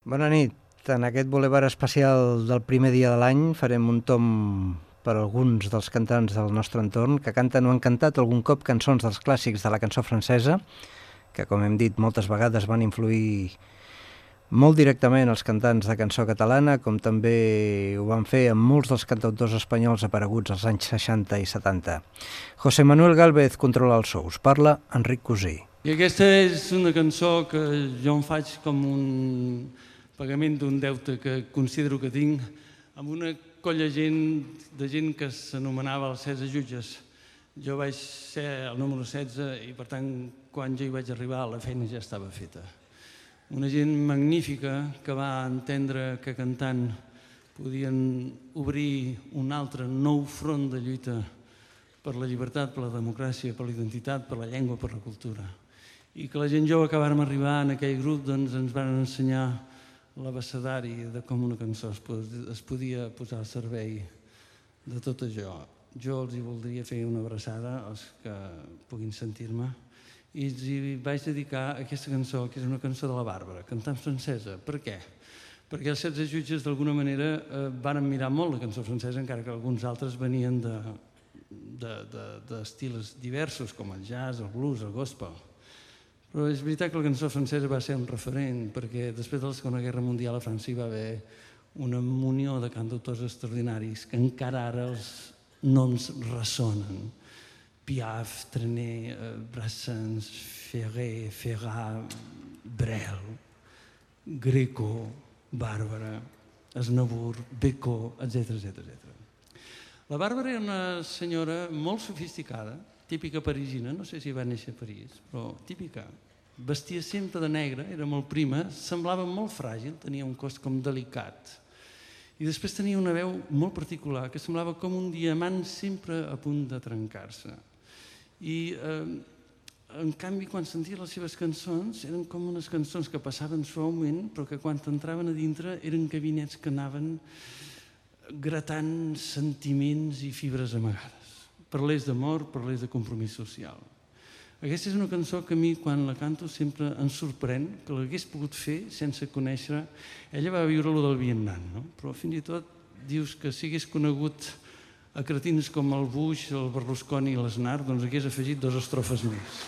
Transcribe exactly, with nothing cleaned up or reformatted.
Bona nit. En aquest Boulevard especial del primer dia de l'any farem un tom per alguns dels cantants del nostre entorn que canten o han cantat algun cop cançons dels clàssics de la cançó francesa, que, com hem dit, moltes vegades van influir molt directament els cantants de cançó catalana, com també ho van fer amb molts dels cantautors espanyols apareguts als anys seixanta i setanta. José Manuel Gálvez controla els sous. Parla Enric Cosí. I aquesta és una cançó que jo em faig com un pagament d'un deute que considero que tinc amb una colla gent, de gent que s'anomenava els setze jutges. Jo vaig ser el número setze i, per tant, quan jo hi vaig arribar, la feina ja estava feta. Una gent magnífica que va entendre que cantant podien obrir un altre nou front de lluita per la llibertat, per la democràcia, per la identitat, per la llengua, per la cultura. I que la gent jove que vàrem arribar en aquell grup doncs, ens van ensenyar l'abecedari de com una cançó es podia posar al servei de tot això. Jo els hi voldria fer una abraçada als que puguin sentir-me i els hi vaig dedicar aquesta cançó, que és una cançó de la Bàrbara, cantant francesa. Per què? Perquè els setze jutges d'alguna manera van mirar molt la cançó francesa, encara que alguns altres venien d'estils diversos, com el jazz, el blues, el gospel. Però és veritat que la cançó francesa va ser un referent, perquè després de la Segona Guerra Mundial a França hi va haver una munió de cantautors extraordinaris que encara ara els noms ressonen. Piaf, Trenet, Brassens, Ferrer, Ferrat, Brel, Greco, Bàrbara, Aznavour, Becó, etcètera etcètera. La Bàrbara era una senyora molt sofisticada, típica parisina, no sé si va néixer a París, però típica. Vestia sempre de negre, era molt prima, semblava molt fràgil, tenia un cos com delicat. I després tenia una veu molt particular, que semblava com un diamant sempre a punt de trencar-se. I, en canvi, quan sentia les seves cançons, eren com unes cançons que passaven suaument, però que quan entraven a dintre eren gabinets que anaven gratant sentiments i fibres amagades. Parlés d'amor, parlés de compromís social. Aquesta és una cançó que a mi, quan la canto, sempre em sorprèn que l'hagués pogut fer sense conèixer. Ella va viure allò del Vietnam, no? Però fins i tot dius que si hagués conegut a cretins com el Bush, el Berlusconi i l'Aznar, doncs hagués afegit dues estrofes més.